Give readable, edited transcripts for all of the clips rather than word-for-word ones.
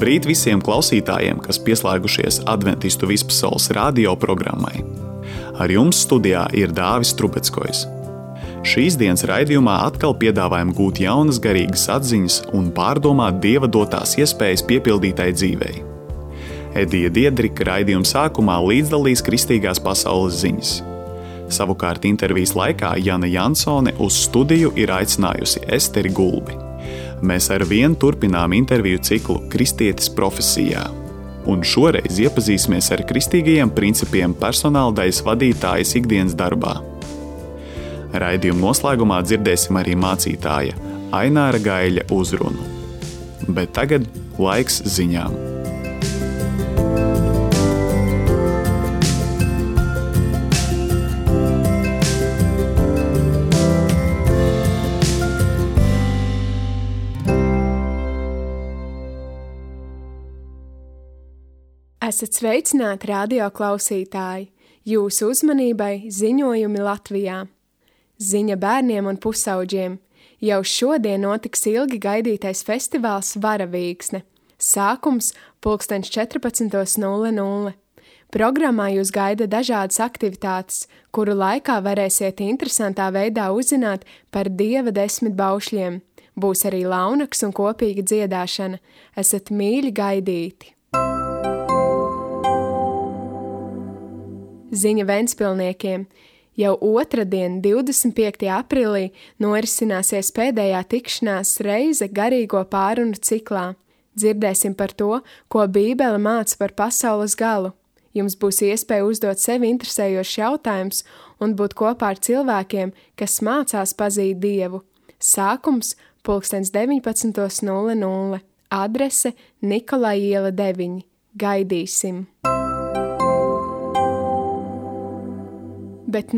Labrīt visiem klausītājiem, kas pieslēgušies Adventistu vispasaules radio programmai. Ar jums studijā ir Dāvis Trubeckojs. Šīs dienas raidījumā atkal piedāvājam gūt jaunas garīgas atziņas un pārdomāt Dieva dotās iespējas piepildītai dzīvei. Edija Diedrika raidījuma sākumā līdzdalīs kristīgās pasaules ziņas. Savukārt intervijas laikā Jana Jansone uz studiju ir aicinājusi Esteri Gulbi. Mēs ar vienu turpinām interviju ciklu Kristietis profesijā. Un šoreiz iepazīsimies ar kristīgajiem principiem personāldaļas vadītājas ikdienas darbā. Raidījuma noslēgumā dzirdēsim arī mācītāja Aināra Gaiļa uzrunu. Bet tagad laiks ziņām. Esat sveicināti radio klausītāji, jūsu uzmanībai ziņojumi Latvijā. Ziņa bērniem un pusauģiem. Jau šodien notiks ilgi gaidītais festivāls Varavīksne. Sākums 14:00. Programmā jūs gaida dažādas aktivitātes, kuru laikā varēsiet interesantā veidā uzzināt par Dieva 10 baušļiem. Būs arī launaks un kopīga dziedāšana. Esat mīļi gaidīti! Ziņa Ventspilniekiem. Jau otradien, 25. aprīlī, norisināsies pēdējā tikšanās reize garīgo pārunu ciklā. Dzirdēsim par to, ko Bībele māca par pasaules galu. Jums būs iespēja uzdot sevi interesējošs jautājums un būt kopā ar cilvēkiem, kas mācās pazīt Dievu. Sākums 19:00. Adrese Nikolai iela 9. Gaidīsim! Bet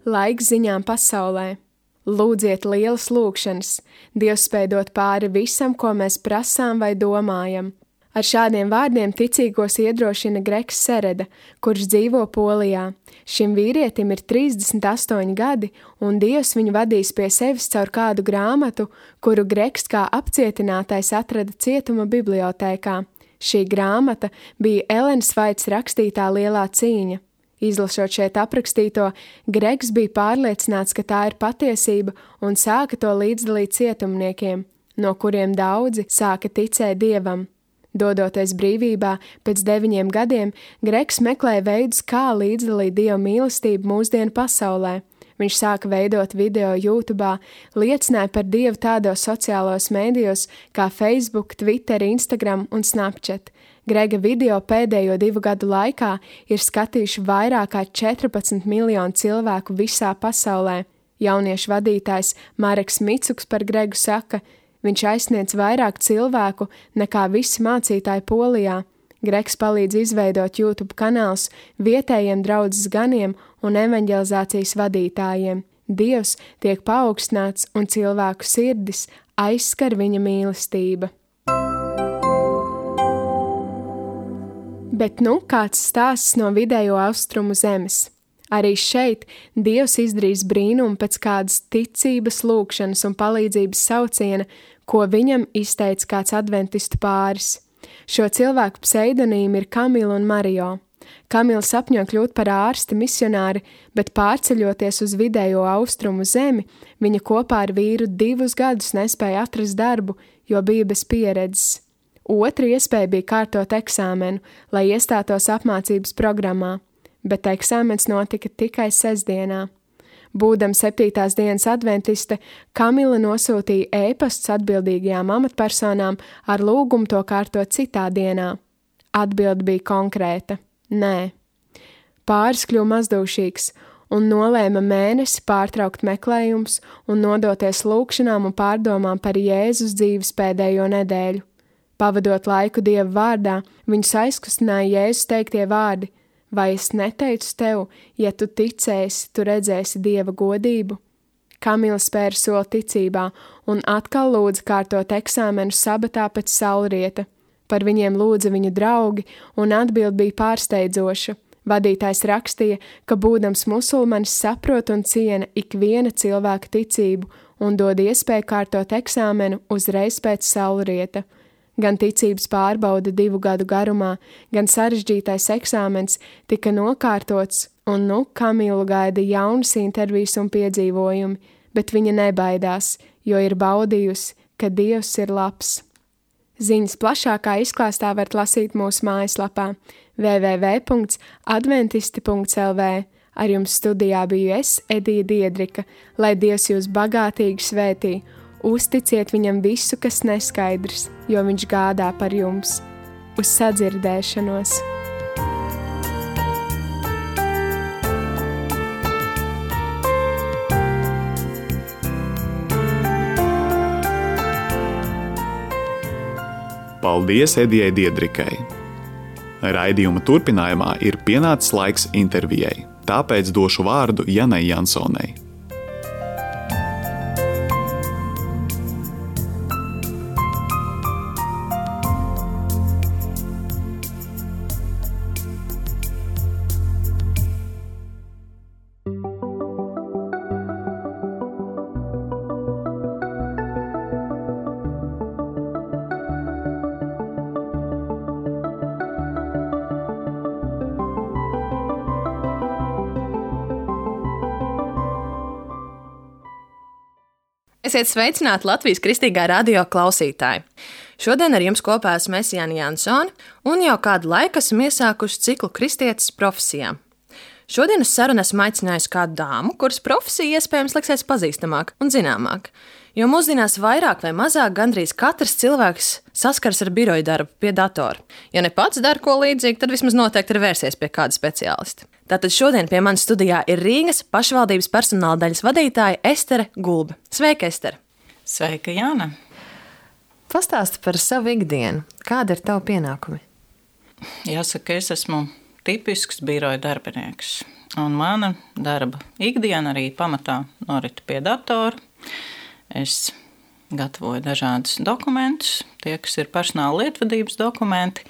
laiks ziņām pasaulē. Lūdziet lielas lūgšanas. Dievs spēj dot pāri visam, ko mēs prasām vai domājam. Ar šādiem vārdiem ticīgos iedrošina Gregs Sereda, kurš dzīvo Polijā. Šim vīrietim ir 38 gadi, un Dievs viņu vadīs pie sevis caur kādu grāmatu, kuru Gregs kā apcietinātais atrada cietuma bibliotēkā. Šī grāmata bija Elenas Vaits rakstītā Lielā cīņa. Izlasot šeit aprakstīto, Gregs bija pārliecināts, ka tā ir patiesība un sāka to līdzdalīt cietumniekiem, no kuriem daudzi sāka ticēt Dievam. Dodoties brīvībā, pēc 9 gadiem, Gregs meklēja veidus, kā līdzdalīt Dieva mīlestību mūsdienu pasaulē. Viņš sāka veidot video YouTube, liecināja par Dievu tādos sociālos mēdījos kā Facebook, Twitter, Instagram un Snapchat. Grega video pēdējo 2 gadu laikā ir skatījuši vairāk kā 14 miljonu cilvēku visā pasaulē. Jauniešu vadītājs Mareks Micuks par Gregu saka, viņš aizsniedz vairāk cilvēku nekā visi mācītāji Polijā. Gregs palīdz izveidot YouTube kanālus vietējiem draudzes ganiem un evaņģelizācijas vadītājiem. Dievs tiek paaugstināts un cilvēku sirdis aizskar viņa mīlestība. Bet kāds stāsts no vidējo austrumu zemes. Arī šeit Dievs izdarīs brīnumu pēc kādas ticības, lūgšanas un palīdzības sauciena, ko viņam izteica kāds adventistu pāris. Šo cilvēku pseidonīmi ir Kamila un Marijo. Kamila sapņo kļūt par ārsti misionāri, bet pārceļoties uz vidējo austrumu zemi, viņa kopā ar vīru 2 gadus nespēja atrast darbu, jo bija bez pieredzes. Otra iespēja bija kārtot eksāmenu, lai iestātos apmācības programmā, bet eksāmens notika tikai sestdienā. Būdama 7. dienas adventiste, Kamila nosūtīja ēpasts atbildīgajām amatpersonām ar lūgumu to kārtot citā dienā. Atbilde bija konkrēta – nē. Pāris kļuva mazdūšīgs un nolēma mēnesi pārtraukt meklējums un nodoties lūgšanām un pārdomām par Jēzus dzīves pēdējo nedēļu. Pavadot laiku Dieva vārdā, viņus aizkustināja Jēzus teiktie vārdi: vai es neteicu tev, ja tu ticēsi, tu redzēsi Dieva godību? Kamila spēra soli ticībā un atkal lūdza kārtot eksāmenu sabatā pēc saulrieta. Par viņiem lūdza viņu draugi, un atbilde bija pārsteidzoša. Vadītājs rakstīja, ka būdams musulmanis saprot un ciena ikviena cilvēka ticību un dod iespēju kārtot eksāmenu uzreiz pēc saulrieta. Gan ticības pārbaude 2 gadu garumā, gan sarežģītais eksāmens tika nokārtots, un Kamilu gaida jaunas intervijas un piedzīvojumi, bet viņa nebaidās, jo ir baudījusi, ka Dievs ir labs. Ziņas plašākā izklāstā varat lasīt mūsu mājaslapā www.adventisti.lv. Ar jums studijā biju es, Edija Diedrika, lai Dievs jūs bagātīgi svētī. Uzticiet viņam visu, kas neskaidrs, jo viņš gādā par jums. Uz sadzirdēšanos! Paldies Edijai Diedrikai! Raidījuma turpinājumā ir pienācis laiks intervijai, tāpēc došu vārdu Janai Jansonai. Esiet sveicināti Latvijas Kristīgā radio klausītāji. Šodien ar jums kopā esmu Jāna Jansone un jau kādu laiku esmu iesākuši ciklu Kristietes profesijā. Šodien uz sarunu esmu aicinājusi kādu dāmu, kuras profesija iespējams liksies pazīstamāk un zināmāk. Jo mūsdienās vairāk vai mazāk gandrīz katrs cilvēks saskars ar biroja darbu pie datora. Ja ne pats dara ko līdzīgu, tad vismaz noteikti ir vērsies pie kāda speciālista. Tātad šodien pie manis studijā ir Rīgas pašvaldības personāla daļas vadītāja Estere Gulbe. Sveika, Estere! Sveika, Jāna! Pastāsti par savu ikdienu. Kāda ir tava pienākumi? Jāsaka, es esmu tipisks biroja darbinieks. Un mana darba ikdiena arī pamatā norita pie datora. Es gatavoju dažādus dokumentus, tie, kas ir personāla lietvadības dokumenti.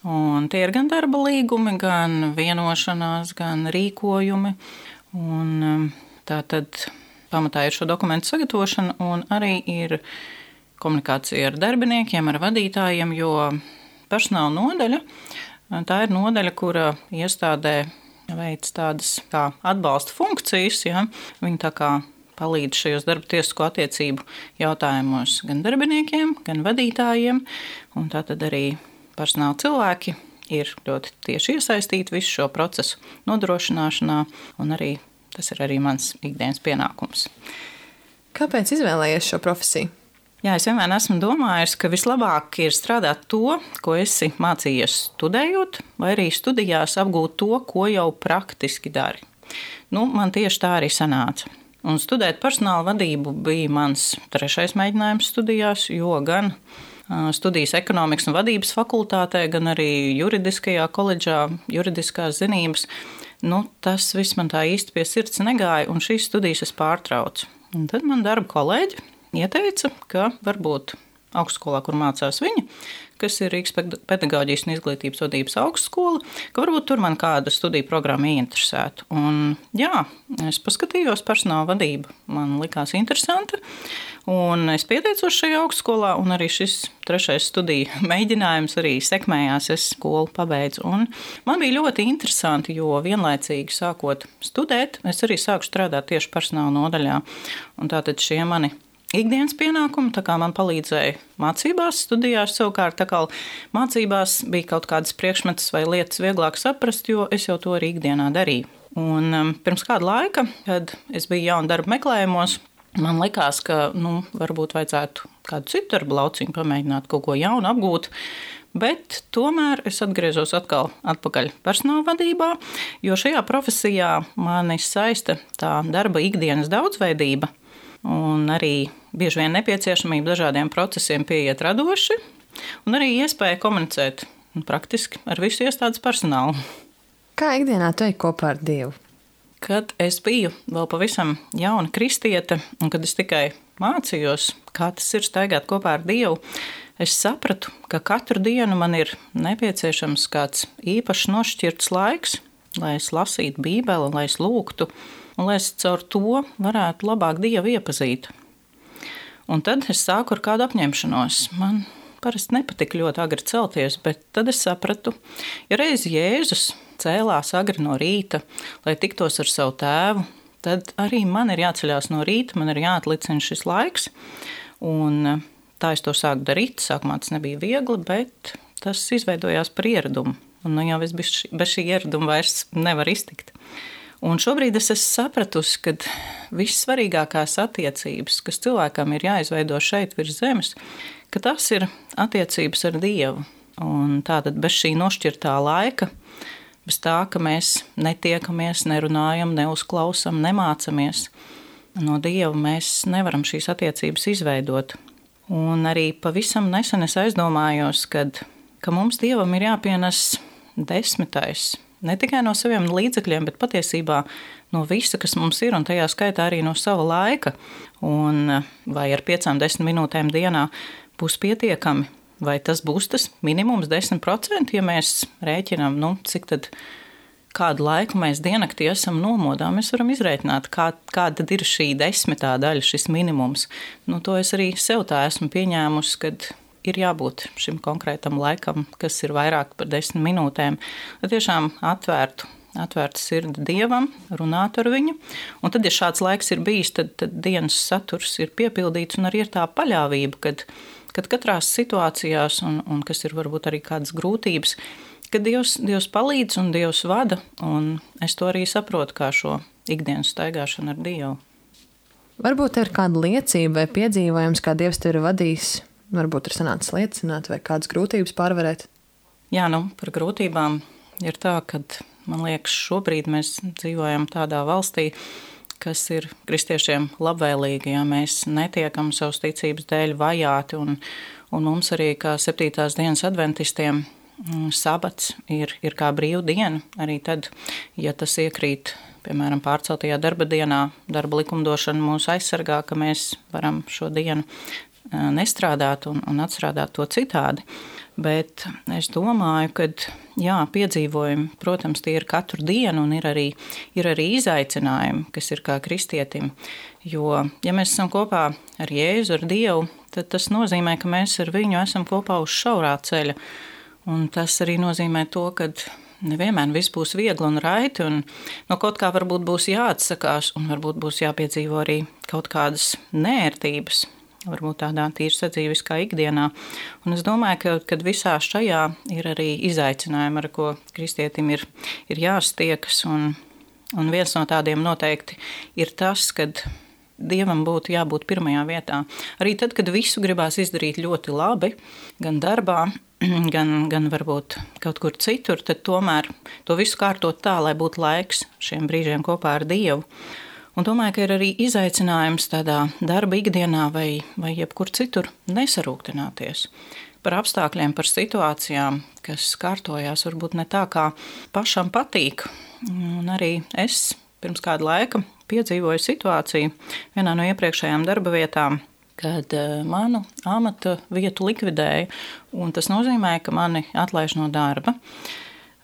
Un tie ir gan darba līgumi, gan vienošanās, gan rīkojumi. Un tā tad pamatā ir šo dokumentu sagatavošana un arī ir komunikācija ar darbiniekiem, ar vadītājiem, jo personāla nodaļa, tā ir nodaļa, kura iestādē veic tādas kā atbalsta funkcijas, ja? Viņi tā kā palīdz šajos darba tiesisko attiecību jautājumos gan darbiniekiem, gan vadītājiem, un tā tad arī personāla cilvēki ir ļoti tieši iesaistīti visu šo procesu nodrošināšanā, un arī tas ir arī mans ikdienas pienākums. Kāpēc izvēlējies šo profesiju? Jā, es vienmēr esmu domājis, ka vislabāk ir strādāt to, ko esi mācījies studējot, vai arī studijās apgūt to, ko jau praktiski dari. Man tieši tā arī sanāca. Un studēt personāla vadību bija mans 3. mēģinājums studijās, jo gan studijas ekonomikas un vadības fakultātē, gan arī juridiskajā koledžā, juridiskās zinības, tas viss man tā īsti pie sirds negāja, un šīs studijas es pārtraucu. Un tad man darba kolēģi ieteica, ka varbūt augstskolā, kur mācās viņa, kas ir Rīgas pedagoģijas un izglītības vadības augstskola, ka varbūt tur man kāda studiju programma ieinteresētu. Un jā, es paskatījos personāla vadību, man likās interesanta, un es pieteicos šajā augstskolā, un arī šis 3. studiju mēģinājums arī sekmējās, es skolu pabeidzu. Un man bija ļoti interesanti, jo vienlaicīgi sākot studēt, es arī sāku strādāt tieši personāla nodaļā, un tātad šie mani ikdienas pienākumi, tā kā man palīdzēja mācībās, studijās, savukārt tā kā mācībās bija kaut kādas priekšmetas vai lietas vieglāk saprast, jo es jau to arī ikdienā darīju. Un pirms kāda laika, kad es biju jauna darba meklējumos, man likās, ka varbūt vajadzētu kādu citu darba lauciņu pamēģināt, kaut ko jaunu apgūt, bet tomēr es atgriezos atpakaļ personāla vadībā, jo šajā profesijā mani saista tā darba ikdienas daudzveidība, un arī bieži vien nepieciešamība dažādiem procesiem pieiet radoši, un arī iespēja komunicēt praktiski ar visu iestādes personālu. Kā ikdienā tu ej kopā ar Dievu? Kad es biju vēl pavisam jauna kristiete, un kad es tikai mācījos, kā tas ir staigāt kopā ar Dievu, es sapratu, ka katru dienu man ir nepieciešams kāds īpašs nošķirts laiks, lai es lasītu Bībeli, lai es lūgtu, un lai es caur to varētu labāk Dievu iepazīt. Un tad es sāku ar kādu apņemšanos. Man parasti nepatika ļoti agri celties, bet tad es sapratu, ja reiz Jēzus cēlās agri no rīta, lai tiktos ar savu tēvu, tad arī man ir jāceļās no rīta, man ir jāatlicina šis laiks. Un tā es to sāku darīt. Sākumā tas nebija viegli, bet tas izveidojās par ieradumu. Un jau es bez šī ieraduma vairs nevaru iztikt. Un šobrīd es esmu sapratusi, ka vissvarīgākās attiecības, kas cilvēkam ir jāizveido šeit virs zemes, ka tas ir attiecības ar Dievu. Un tātad bez šī nošķirtā laika, bez tā, ka mēs netiekamies, nerunājam, neuzklausam, nemācamies, no Dieva mēs nevaram šīs attiecības izveidot. Un arī pavisam nesen es aizdomājos, ka mums Dievam ir jāpienes 10. Ne tikai no saviem līdzekļiem, bet patiesībā no visa, kas mums ir, un tajā skaitā arī no sava laika. Un vai ar 5-10 minūtēm dienā būs pietiekami, vai tas būs tas minimums 10%, ja mēs rēķinām, cik tad kādu laiku mēs diennaktī esam nomodā, mēs varam izrēķināt, kāda ir šī 10. daļa, šis minimums. To es arī sev tā esmu pieņēmusi, kad ir jābūt šim konkrētam laikam, kas ir vairāk par 10 minūtēm, lai tiešām atvērtu sirdi Dievam, runāt ar viņu. Un tad, ja šāds laiks ir bijis, tad dienas saturs ir piepildīts un arī ir tā paļāvība, kad katrās situācijās, un kas ir varbūt arī kādas grūtības, kad Dievs palīdz un Dievs vada, un es to arī saprotu kā šo ikdienas staigāšanu ar Dievu. Varbūt ir kāda liecība vai piedzīvojums, kā Dievs tevi ir vadījis. Varbūt ir sanācis liecināt vai kādas grūtības pārvarēt? Jā, par grūtībām ir tā, ka man liekas, šobrīd mēs dzīvojam tādā valstī, kas ir kristiešiem labvēlīga, ja mēs netiekam savas ticības dēļ vajāti, un mums arī kā 7. dienas adventistiem sabats ir kā brīva diena, arī tad, ja tas iekrīt, piemēram, pārceltajā darba dienā, darba likumdošana mūs aizsargā, ka mēs varam šo dienu nestrādāt un atstrādāt to citādi. Bet es domāju, ka piedzīvojumi, protams, tie ir katru dienu un ir arī izaicinājumi, kas ir kā kristietim. Jo, ja mēs esam kopā ar Jēzu, ar Dievu, tad tas nozīmē, ka mēs ar viņu esam kopā uz šaurā ceļa. Un tas arī nozīmē to, ka nevienmēr viss būs viegli un raiti, un no kaut kā varbūt būs jāatsakās, un varbūt būs jāpiedzīvo arī kaut kādas nērtības, varbūt tādā tīri sadzīviskā ikdienā. Un es domāju, ka visā šajā ir arī izaicinājumi, ar ko kristietim ir jāstiekas, un viens no tādiem noteikti ir tas, kad Dievam būtu jābūt pirmajā vietā. Arī tad, kad visu gribās izdarīt ļoti labi, gan darbā, gan varbūt kaut kur citur, tad tomēr to visu kārtot tā, lai būtu laiks šiem brīžiem kopā ar Dievu. Un domāju, ka ir arī izaicinājums tādā darba ikdienā vai jebkur citur nesarūktināties par apstākļiem, par situācijām, kas kārtojās varbūt ne tā, kā pašam patīk. Un arī es pirms kāda laika piedzīvoju situāciju vienā no iepriekšējām darba vietām, kad manu amata vietu likvidēja, un tas nozīmē, ka mani atlaiž no darba.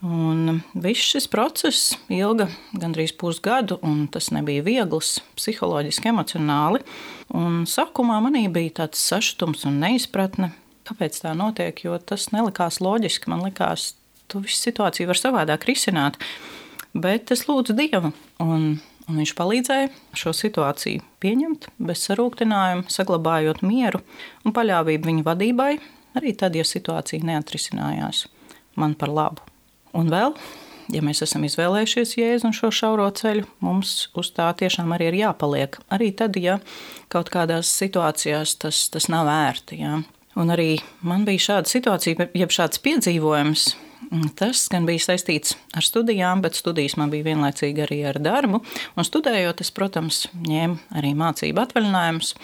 Un viss šis process ilga gandrīz pusgadu, un tas nebija viegls, psiholoģiski, emocionāli. Un sākumā manī bija tāds sašutums un neizpratne, kāpēc tā notiek, jo tas nelikās loģiski. Man likās, to visu situāciju var savādāk risināt, bet es lūdzu Dievu, un viņš palīdzēja šo situāciju pieņemt bez sarūktinājuma, saglabājot mieru un paļāvību viņa vadībai, arī tad, ja situācija neatrisinājās man par labu. Un vēl, ja mēs esam izvēlējušies Jēzu un šo šauro ceļu, mums uz tā tiešām arī ir jāpaliek. Arī tad, ja kaut kādās situācijās tas nav ērti. Ja. Un arī man bija šāda situācija, jeb šāds piedzīvojums. Tas gan bija saistīts ar studijām, bet studijas man bija vienlaicīgi arī ar darbu. Un studējot, es, protams, ņēmu arī mācību atvaļinājumus.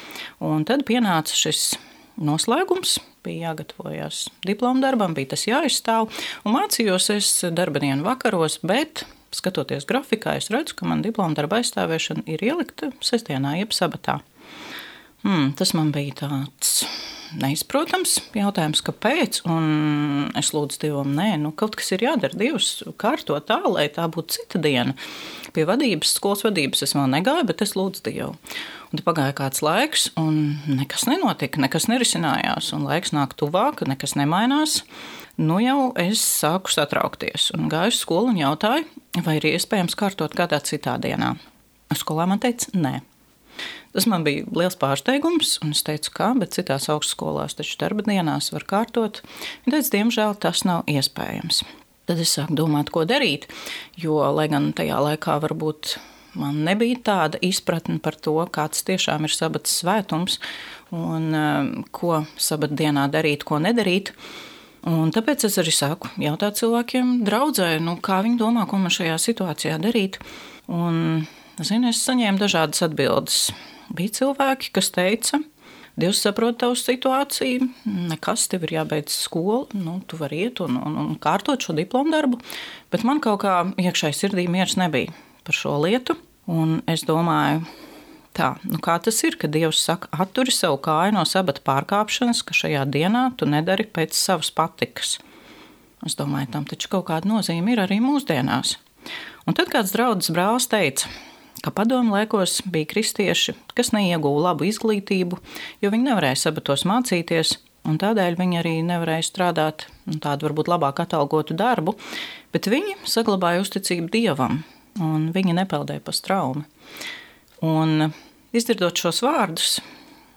Un tad pienāca šis noslēgums. Bija jāgatavojas diploma darbam, bija tas jāizstāv, un mācījos es darba dienu vakaros, bet, skatoties grafikā, es redzu, ka man diploma darba aizstāvēšana ir ielikta sestdienā, jeb sabatā. Tas man bija tāds neizprotams jautājums, kāpēc, un es lūdzu Dievam, kaut kas ir jādara, Dievs kārto tā, lai tā būtu cita diena. Pie vadības, skolas vadības es vēl negāju, bet es lūdzu Dievu. Un tad pagāja kāds laiks, un nekas nenotika, nekas nerisinājās, un laiks nāk tuvāk, nekas nemainās. Jau es sāku satraukties un gāju uz skolu un jautāju, vai ir iespējams kārtot kādā citā dienā. Skolā man teica, nē. Tas man bija liels pārsteigums, un es teicu, kā, bet citās augstskolās taču darba dienās var kārtot. Viņa teica, diemžēl tas nav iespējams. Tad es sāku domāt, ko darīt, jo, lai gan tajā laikā varbūt man nebija tāda izpratne par to, kāds tiešām ir sabatas svētums un ko sabata dienā darīt, ko nedarīt. Un tāpēc es arī sāku jautāt cilvēkiem draudzē, kā viņi domā, ko man šajā situācijā darīt. Un, es saņēmu dažādas atbildes. Bija cilvēki, kas teica, Dievs saprot tavu situāciju, nekas, tev ir jābeidz skolu, tu vari iet un kārtot šo diplomu darbu, bet man kaut kā iekšēji sirdī miers nebija par šo lietu. Un es domāju, kā tas ir, ka Dievs saka, atturi savu kāju no sabata pārkāpšanas, ka šajā dienā tu nedari pēc savas patikas. Es domāju, tam taču kaut kāda nozīme ir arī mūsdienās. Un tad kāds draudzes brālis teica, ka padomu laikos bija kristieši, kas neieguva labu izglītību, jo viņi nevarēja sabatos mācīties, un tādēļ viņi arī nevarēja strādāt tādu varbūt labāk atalgotu darbu, bet viņi saglabāja uzticību Dievam, un viņi nepeldēja pa straumi. Un izdzirdot šos vārdus,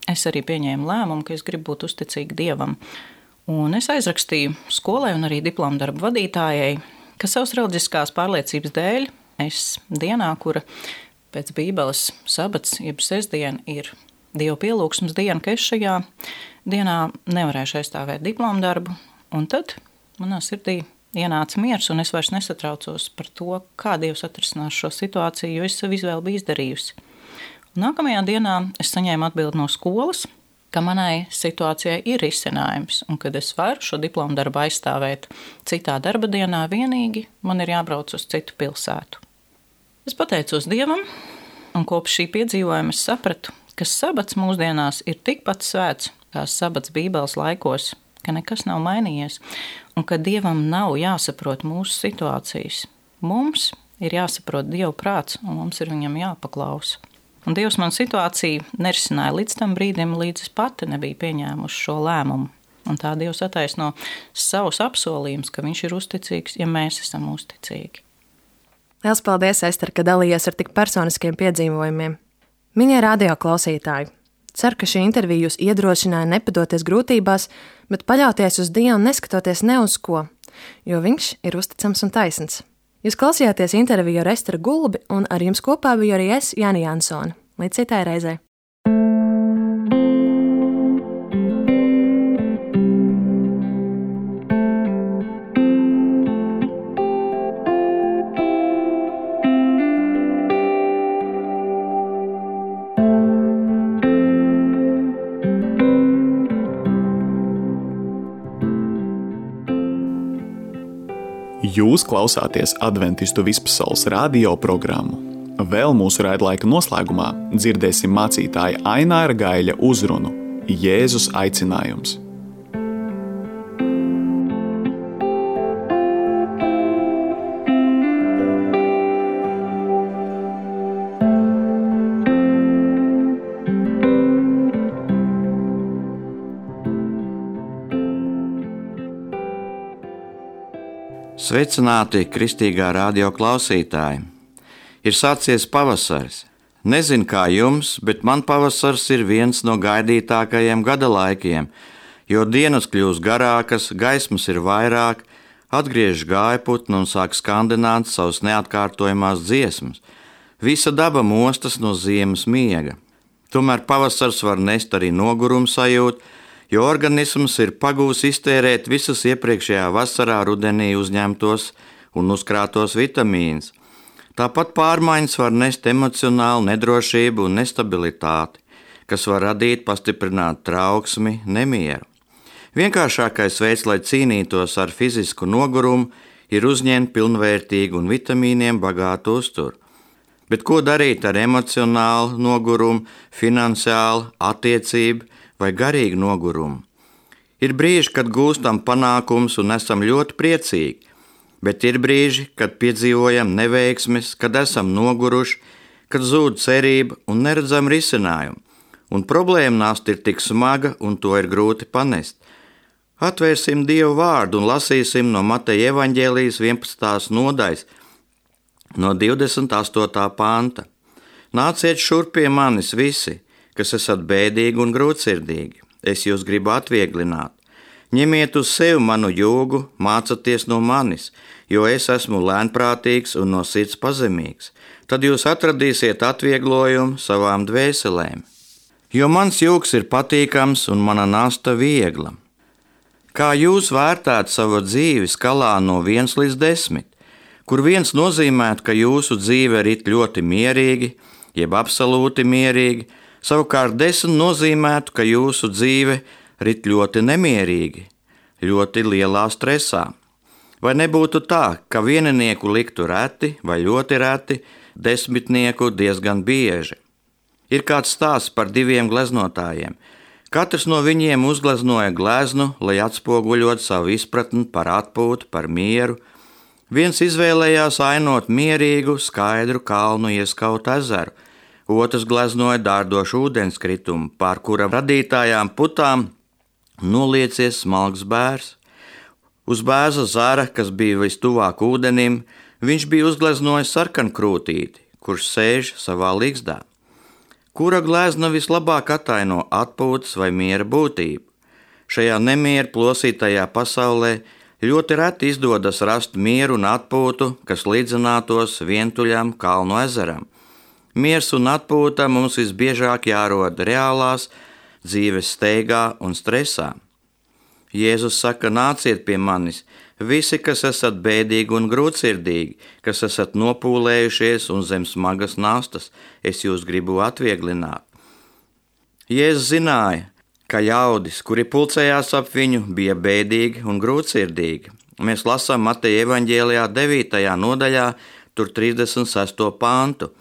es arī pieņēmu lēmumu, ka es gribu būt uzticīga Dievam. Un es aizrakstīju skolai un arī diplomu darbu vadītājai, ka savas reliģiskās pārliecības dēļ es dienā, kura pēc Bībeles sabats, jeb sestdiena ir Dieva pielūgsmes diena, ka es šajā dienā nevarēšu aizstāvēt diplomu darbu. Un tad manā sirdī ienāca miers, un es vairs nesatraucos par to, kā Dievs atrisinās šo situāciju, jo es savu izvēli biju izdarījusi. Un nākamajā dienā es saņēmu atbildi no skolas, ka manai situācijai ir risinājums, un kad es varu šo diplomu darbu aizstāvēt citā darba dienā, vienīgi man ir jābrauc uz citu pilsētu. Es pateicos Dievam, un kopš šī piedzīvojuma es sapratu, ka sabats mūsdienās ir tikpat svēts kā sabats Bībeles laikos, ka nekas nav mainījies, un ka Dievam nav jāsaprot mūsu situācijas. Mums ir jāsaprot Dieva prāts, un mums ir viņam jāpaklausa. Un Dievs man situāciju nerisināja līdz tam brīdim, līdz es pati nebija pieņēmuši šo lēmumu. Un tā Dievs attaisno savus apsolījumus, ka viņš ir uzticīgs, ja mēs esam uzticīgi. Liels paldies, Ester, ka dalījies ar tik personiskiem piedzīvojumiem. Mīļie radio klausītāji, ceru, ka šī intervija jūs iedrošināja nepadoties grūtībās, bet paļauties uz Dievu neskatoties ne uz ko, jo viņš ir uzticams un taisns. Jūs klausījāties interviju ar Esteru Gulbi, un ar jums kopā biju arī es, Jāni Jansone. Līdz citai reizei! Jūs klausāties Adventistu vispasaules radio programmu. Vēl mūsu raidlaika noslēgumā dzirdēsim mācītāja Aināra Gaiļa uzrunu Jēzus aicinājums. Sveicināti kristīgā radio klausītāji! Ir sācies pavasaris. Nezinu kā jums, bet man pavasars ir viens no gaidītākajiem gada laikiem, jo dienas kļūst garākas, gaismas ir vairāk, atgriež gājputni un sāk skandināt savas neatkārtojamās dziesmas. Visa daba mostas no ziemas miega. Tomēr pavasars var nest arī nogurumu sajūtu, jo organisms ir pagūs iztērēt visas iepriekšējā vasarā rudenī uzņemtos un uzkrātos vitamīnus. Tāpat pārmaiņas var nest emocionālu nedrošību un nestabilitāti, kas var radīt pastiprinātu trauksmi, nemieru. Vienkāršākais veids, lai cīnītos ar fizisku nogurumu, ir uzņemt pilnvērtīgu un vitamīniem bagātu uzturu. Bet ko darīt ar emocionālu nogurumu, finansiālu, attiecību vai garīgu nogurumu? Ir brīži, kad gūstam panākumus un esam ļoti priecīgi, bet ir brīži, kad piedzīvojam neveiksmes, kad esam noguruši, kad zūd cerība un neredzam risinājumu, un problēma nasta ir tik smaga un to ir grūti panest. Atvērsim Dievu vārdu un lasīsim no Mateja evaņģēlijas 11. nodaļas, no 28. panta. Nāciet šurp pie manis visi, kas esat bēdīgi un grūtsirdīgi. Es jūs gribu atvieglināt. Ņemiet uz sevi manu jūgu, mācieties no manis, jo es esmu lēnprātīgs un no sirds pazemīgs. Tad jūs atradīsiet atvieglojumu savām dvēselēm. Jo mans jūgs ir patīkams un mana nasta viegla. Kā jūs vērtētu savu dzīvi skalā no 1 līdz 10, kur 1 nozīmētu, ka jūsu dzīve rit ļoti mierīgi, jeb absolūti mierīgi, savukārt 10 nozīmētu, ka jūsu dzīve rit ļoti nemierīgi, ļoti lielā stresā. Vai nebūtu tā, ka vieninieku liktu reti vai ļoti reti, 10 diezgan bieži? Ir kāds stāsts par 2 gleznotājiem. Katrs no viņiem uzgleznoja gleznu, lai atspoguļot savu izpratni par atpūtu, par mieru. Viens izvēlējās ainot mierīgu, skaidru kalnu ieskautu ezeru, otrs gleznoja dārdošu ūdenskritumu, pār kura radītājām putām noliecies smalks bērs. Uz bērza zara, kas bija vistuvāk ūdenim, viņš bija uzgleznojis sarkankrūtīti, kurš sēž savā ligzdā. Kura glezna vislabāk ataino atpūtas vai miera būtību? Šajā nemieru plosītajā pasaulē ļoti reti izdodas rast mieru un atpūtu, kas līdzinātos vientuļam kalnu ezeram. Miers un atpūta mums visbiežāk jārod reālās dzīves steigā un stresā. Jēzus saka, nāciet pie manis, visi, kas esat bēdīgi un grūtsirdīgi, kas esat nopūlējušies un zem smagas nastas, es jūs gribu atvieglināt. Jēzus zināja, ka ļaudis, kuri pulcējās ap viņu, bija bēdīgi un grūtsirdīgi. Mēs lasām Mateja evaņģēlijā 9. nodaļā, tur 36. pantu.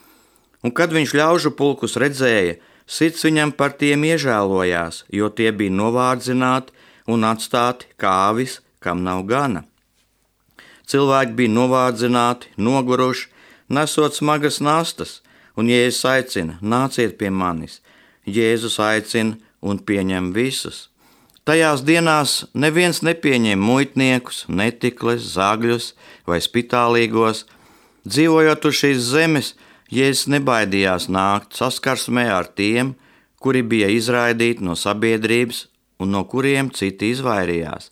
Un kad viņš ļaužu pulkus redzēja, sirds viņam par tiem iežēlojās, jo tie bija novārdzināti un atstāti kā avis, kam nav gana. Cilvēki bija novārdzināti, noguruši, nesot smagas nastas, un Jēzus aicina, nāciet pie manis. Jēzus aicina un pieņem visus. Tajās dienās neviens nepieņem muitniekus, netikles, zagļus vai spitālīgos. Dzīvojot uz šīs zemes, Jēzus nebaidījās nākt saskarsmē ar tiem, kuri bija izraidīti no sabiedrības un no kuriem citi izvairījās.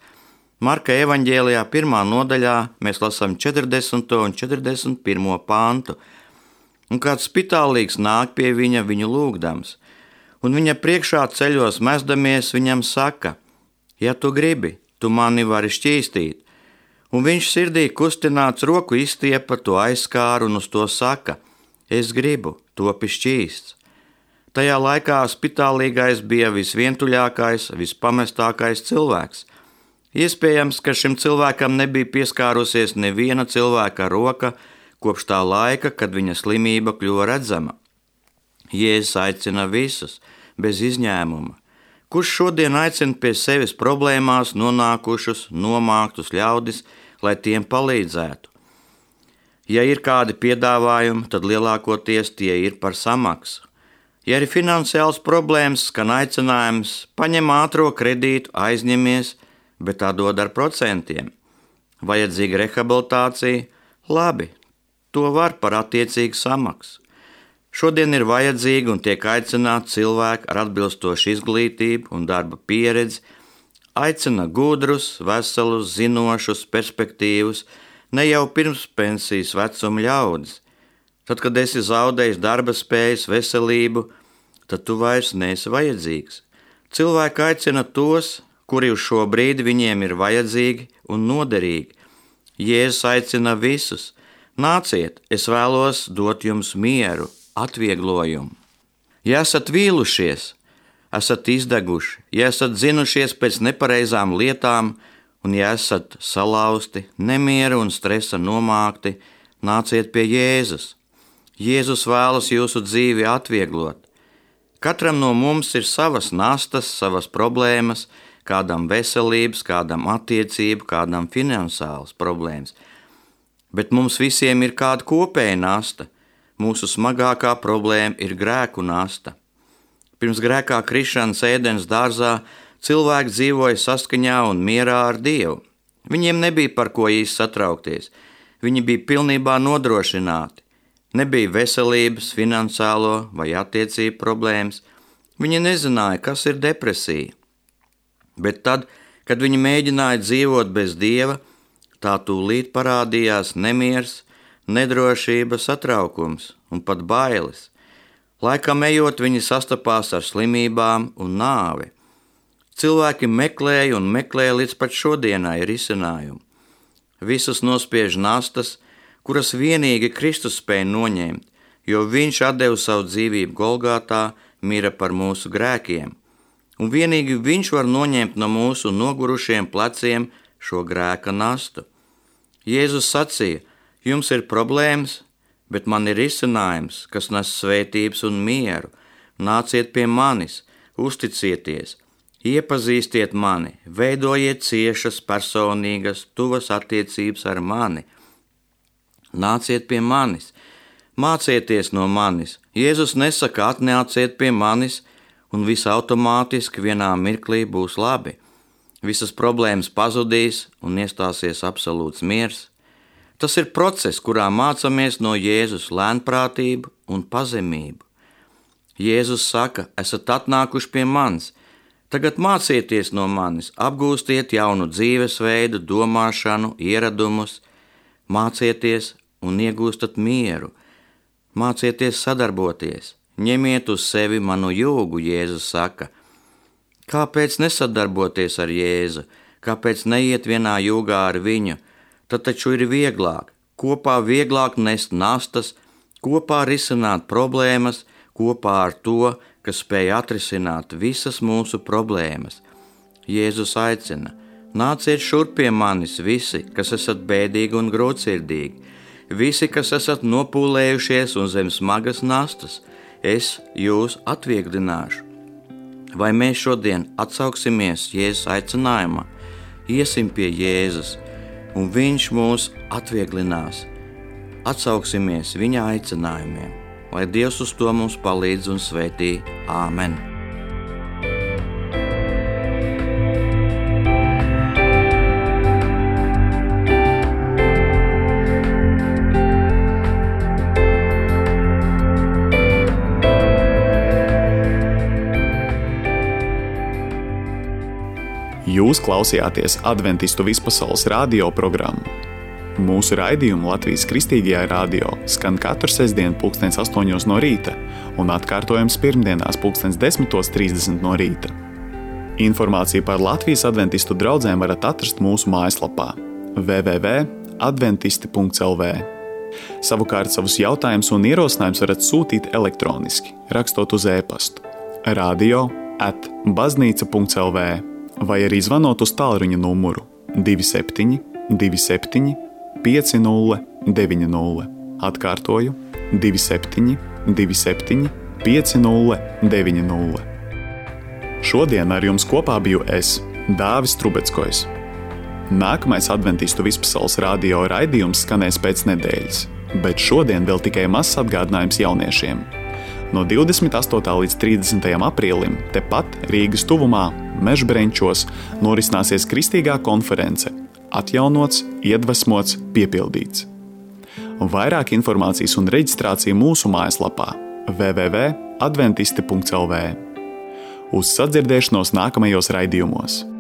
Marka evaņģēlijā 1. nodaļā mēs lasām 40. un 41. pantu. Un kāds spitālīgs nāk pie viņu lūgdams, un viņa priekšā ceļos mesdamies viņam saka, ja tu gribi, tu mani vari šķīstīt. Un viņš sirdī kustināts roku izstiepa, to aizskāra un uz to saka, es gribu, topi šķīsts. Tajā laikā spitālīgais bija visvientuļākais, vispamestākais cilvēks. Iespējams, ka šim cilvēkam nebija pieskārusies neviena cilvēka roka kopš tā laika, kad viņa slimība kļuva redzama. Jēzus aicina visus, bez izņēmuma. Kurš šodien aicina pie sevis problēmās nonākušus, nomāktus ļaudis, lai tiem palīdzētu? Ja ir kādi piedāvājumi, tad lielākoties tie ir par samaksu. Ja ir finansiāls problēmas, skan aicinājums, paņem ātro kredītu, aizņemies, bet tā dod ar procentiem. Vajadzīga rehabilitācija, labi, to var par attiecīgu samaksu. Šodien ir vajadzīgi un tiek aicināti cilvēki ar atbilstošu izglītību un darba pieredzi, aicina gudrus, veselus, zinošus, perspektīvus, ne jau pirms pensijas vecuma ļaudis. Tad, kad esi zaudējis darba spējas, veselību, tad tu vairs neesi vajadzīgs. Cilvēki aicina tos, kuri uz šo brīdi viņiem ir vajadzīgi un noderīgi. Jēzus aicina visus, nāciet, es vēlos dot jums mieru, atvieglojumu. Ja esat vīlušies, esat izdeguši, ja esat zinušies pēc nepareizām lietām, un ja esat salauzti, nemieru un stresa nomākti, nāciet pie Jēzus. Jēzus vēlas jūsu dzīvi atvieglot. Katram no mums ir savas nastas, savas problēmas, kādam veselības, kādam attiecību, kādam finansiālas problēmas. Bet mums visiem ir kāda kopēja nasta. Mūsu smagākā problēma ir grēku nasta. Pirms grēkā krišanas Ēdenes dārzā cilvēki dzīvoja saskaņā un mierā ar Dievu. Viņiem nebija par ko īsti satraukties. Viņi bija pilnībā nodrošināti. Nebija veselības, finansiālo vai attiecību problēmas. Viņi nezināja, kas ir depresija. Bet tad, kad viņi mēģināja dzīvot bez Dieva, tā tūlīt parādījās nemiers, nedrošība, satraukums un pat bailes. Laikam ejot, viņi sastapās ar slimībām un nāvi. Cilvēki meklēja un meklēja līdz pat šodienai risinājumu. Visus nospiež nastas, kuras vienīgi Kristus spēja noņemt, jo viņš atdeva savu dzīvību Golgātā, mira par mūsu grēkiem. Un vienīgi viņš var noņemt no mūsu nogurušiem pleciem šo grēka nastu. Jēzus sacīja, jums ir problēmas, bet man ir risinājums, kas nes svētības un mieru. Nāciet pie manis, uzticieties, iepazīstiet mani, veidojiet ciešas, personīgas, tuvas attiecības ar mani. Nāciet pie manis, mācieties no manis. Jēzus nesaka, atnāciet pie manis, un viss automātiski vienā mirklī būs labi. Visas problēmas pazudīs un iestāsies absolūts miers. Tas ir process, kurā mācāmies no Jēzus lēnprātību un pazemību. Jēzus saka, esat atnākuši pie manis, tagad mācieties no manis, apgūstiet jaunu dzīvesveidu, domāšanu, ieradumus, mācieties un iegūstat mieru, mācieties sadarboties, ņemiet uz sevi manu jūgu, Jēzus saka. Kāpēc nesadarboties ar Jēzu? Kāpēc neiet vienā jūgā ar viņu? Tad taču ir vieglāk, kopā vieglāk nest nastas, kopā risināt problēmas, kopā ar to, kas spēj atrisināt visas mūsu problēmas. Jēzus aicina, nāciet šurp pie manis visi, kas esat bēdīgi un grūtsirdīgi, visi, kas esat nopūlējušies un zem smagas nastas, es jūs atvieglināšu. Vai mēs šodien atsauksimies Jēzus aicinājumā, iesim pie Jēzus, un viņš mūs atvieglinās. Atsauksimies viņa aicinājumiem, lai Dievs uz to mums palīdz un svētī. Āmen! Jūs klausījāties Adventistu vispasaules radio programmu. Mūsu raidījumu Latvijas Kristīgajā radio skan katru sestdienu 8:00 no rīta un atkārtojums pirmdienās 10:30 no rīta. Informāciju par Latvijas adventistu draugiem varat atrast mūsu mājaslapā www.adventisti.lv. Savukārt savus jautājumus un ierosinājumus varat sūtīt elektroniski, rakstot uz e-pastu radio@baznīca.lv vai arī zvanot uz tālruņa numuru 27 27 50 90. Atkārtoju 27 27 50 90. Šodien ar jums kopā biju es, Dāvis Trubeckojs. Nākamais adventistu vispasaules radio raidījums skanēs pēc nedēļas, bet šodien vēl tikai mazs atgādinājums jauniešiem. No 28. līdz 30. aprīlim tepat Rīgas tuvumā Mežbrenčos norisināsies kristīgā konference Atjaunots, iedvesmots, piepildīts. Vairāk informācijas un reģistrācija mūsu mājaslapā www.adventisti.lv. Uz sadzirdēšanos nākamajos raidījumos!